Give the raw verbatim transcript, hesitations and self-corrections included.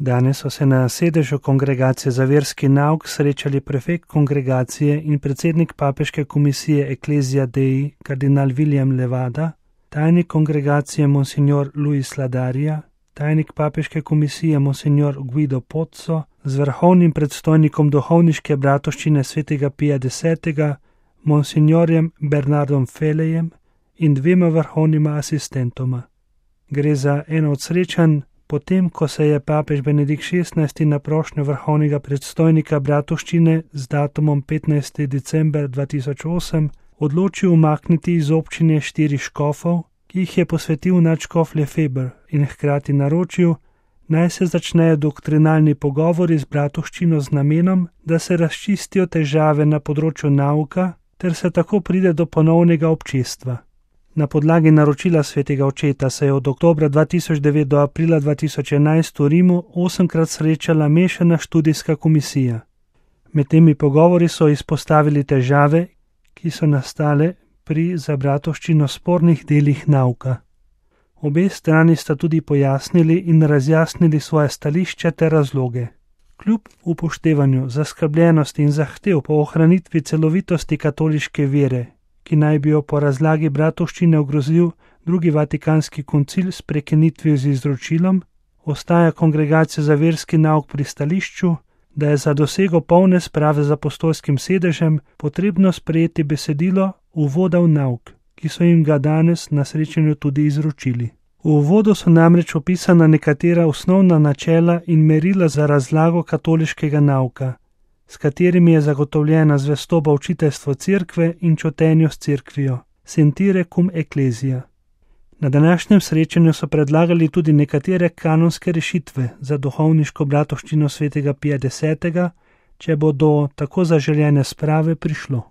Danes so se na sedežu Kongregacije za verski nauk srečali prefekt kongregacije in predsednik papeške komisije Ecclesia Dei, kardinal William Levada, tajnik kongregacije monsignor Luis Ladarija, tajnik papeške komisije monsignor Guido Pozzo, z vrhovnim predstojnikom duhovniške bratovščine svetega Pija desetega, monsignorjem Bernardom Felejem in dvema vrhovnima asistentoma. Gre za eno od srečanj, potem ko se je papež Benedikt šestnajsti na prošnjo vrhovnega predstojnika bratovščine z datumom petnajsti december dva tisoč osem odločil umakniti iz občine štiri škofov, ki jih je posvetil nadškof Lefebvre, in hkrati naročil, naj se začnejo doktrinalni pogovori z bratovščino z namenom, da se razčistijo težave na področju nauka ter se tako pride do ponovnega občestva. Na podlagi naročila svetega očeta se je od oktobra dva tisoč devet do aprila dva tisoč enajst v Rimu osemkrat srečala mešana študijska komisija. Med temi pogovori so izpostavili težave, ki so nastale pri za bratovščino spornih delih nauka. Obe strani sta tudi pojasnili in razjasnili svoje stališče ter razloge. Kljub upoštevanju zaskrbljenosti in zahtev po ohranitvi celovitosti katoliške vere, ki naj bi jo po razlagi bratovščine ogrozil drugi vatikanski koncil s prekinitvijo z izročilom, ostaja Kongregacija za verski nauk pri stališču, da je za dosego polne sprave z apostolskim sedežem potrebno sprejeti besedilo uvoda v nauk, ki so jim ga danes na srečanju tudi izročili. V uvodu so namreč opisana nekatera osnovna načela in merila za razlago katoliškega nauka, s katerimi je zagotovljena zvestoba učiteljstvo cerkve in čotenju s cerkvijo, sentire cum ecclesia. Na današnjem srečanju so predlagali tudi nekatere kanonske rešitve za duhovniško bratovščino svetega Pija desetega, če bo do tako zaželjene sprave prišlo.